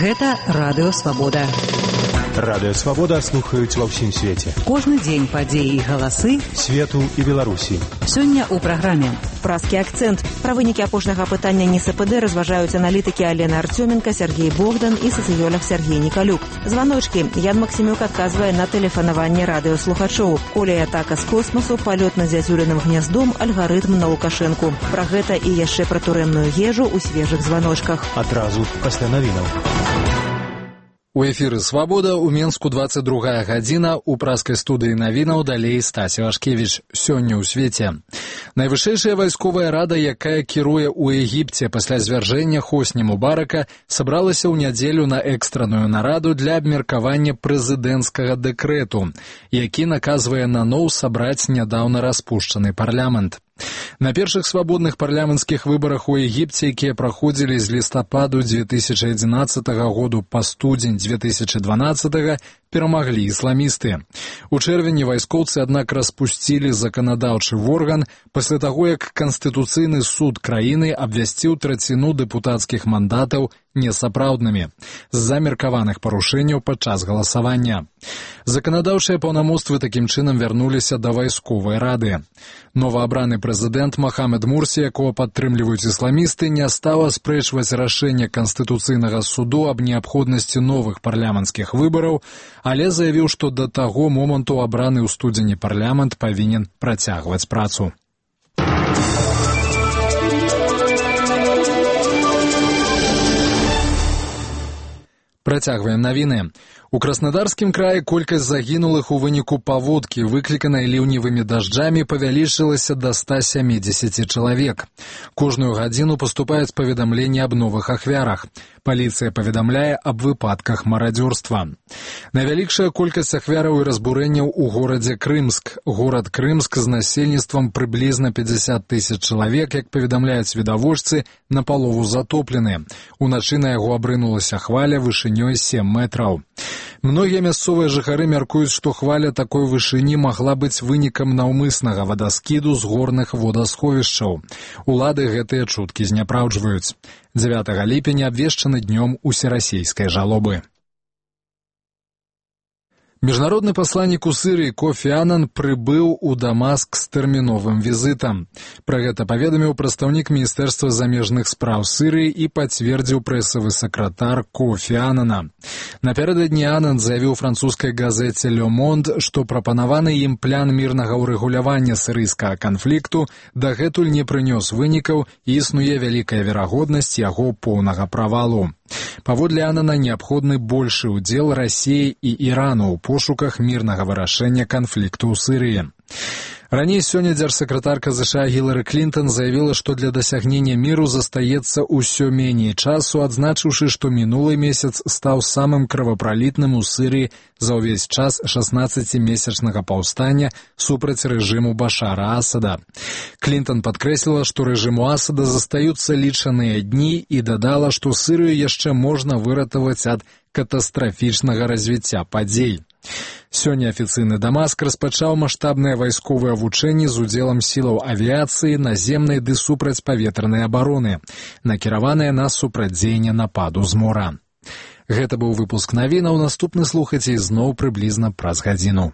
Гэта Радыё Свабода. Радыё Свабода слухаюць ва ўсім свеце. Кожны дзень падзеі і галасы свету і Беларусі. Сёння ў праграме «Празкі акцэнт». Пра вынікі апошняга апытання НСПД разважаюць аналітыкі Алена Артёменка, Сергей Богдан і сацыёлог Сергей Николюк. Званочкі. Ян Максимюк адказвае на тэлефанаванне радыёслухачоў. Коля і атака з космасу, палёт над зязюленым гняздом, алгарытм на Лукашэнку. Пра гэта і яшчэ пра турэмную ежу ў свежых званочках. Адразу пасля навінаў. У эфіры «Свабода», у Менску 22 гадзіна, у праскай студыі навінаў далей Стасі Вашкевіч. Сёння ў свеце. Найвышэйшая вайсковая рада, якая кіруе ў Егіпце пасля звяржэння Хосні Мубарака, сабралася ў нядзелю на экстранную нараду для абмеркавання прэзідэнцкага дэкрэту, які наказвае наноў сабраць нядаўна распушчаны парламент. На першых свабодных парламенцкіх выбарах у Егіпце, якія праходзілі з лістападу 2011 году па студзень 2012, перамаглі ісламісты. У чэрвені вайскоўцы, аднак, распусцілі заканадаўчы орган пасля таго, як Канстытуцыйны суд краіны абвясціў траціну дэпутацкіх мандатаў несапраўднымі з-за меркаваных парушэнняў падчас галасавання. Заканадаўчыя паўнамоцтвы такім чынам вярнуліся да вайсковай рады. Новаабраны прэзідэнт Мохамед Мурсі, якого падтрымліваюць ісламісты, не стаў аспрэчваць рашэнне Канстытуцыйнага суду аб неабходнасці новых парламенцкіх выбараў, але заявіў, што да таго моманту абраны ў студзені парламент павінен працягваць працу. Працягваем навіны. У Краснодарскім краі колькасць загінулых у выніку паводкі, выкліканай ліўневымі дажджамі, павялічылася да 170 чалавек. Кожную гадзіну паступаюць паведамленні аб новых ахвярах. Паліцыя паведамляе аб выпадках марадзёрства. Найвялікшая колькасць ахвяраў і разбурэнняў у горадзе Крымск. Горад Крымск з насельніцтвам прыблізна 50 тысяч чалавек, як паведамляюць відавочцы, напалову затоплены. Уначы на яго абрынулася хваля вышынёй 7 метраў. Многія мясцовыя жыхары мяркуюць, што хваля такой вышыні магла быць вынікам наўмыснага вадаскіду з горных водасховішчаў. Улады гэтыя чуткі зняпраўджваюць. 9 ліпеня абвешчаны днём усерасійскай жалобы. Міжнародны пасланнік у Сірыі Кофі Анан прыбыў у Дамаск з тэрміновым візітам. Пра гэта паведаміў прадстаўнік Міністэрства замежных спраў Сірыі і пацвердзіў прэсавы сакратар Кофі Анана. Напярэдадні Анан заявіў французскай газеце «Ле Монд», што прапанаваны ім план мірнага ўрэгулявання сірыйскага канфлікту дагэтуль не прынёс вынікаў і існуе вялікая верагоднасць яго поўнага правалу. Паводле Анана неабходны большы ўдзел Расіі і Ірану ў пошуках мірнага вырашэння канфлікту ў Сірыі. Раней сёння дзяржсакратарка США Гілары Клінтон заявіла, што для дасягнення міру застаецца ўсё меней часу, адзначыўшы, што мінулы месяц стаў самым крывапралітным у Сірыі за ўвесь час 16-месячнага паўстання супраць рэжыму Башара Асада. Клінтон падкрэсліла, што рэжыму Асада застаюцца лічаныя дні і дадала, што Сірыю яшчэ можна выратаваць ад катастрафічнага развіцця падзей. Сёння афіцыйны Дамаск распачаў маштабныя вайсковыя вучэнні з удзелам сілаў авіяцыі, наземнай ды супрацьпаветранай абароны, накіраваныя на супрацьдзеянне нападу з мора. Гэта быў выпуск навінаў, наступны слухайце ізноў прыблізна праз гадзіну.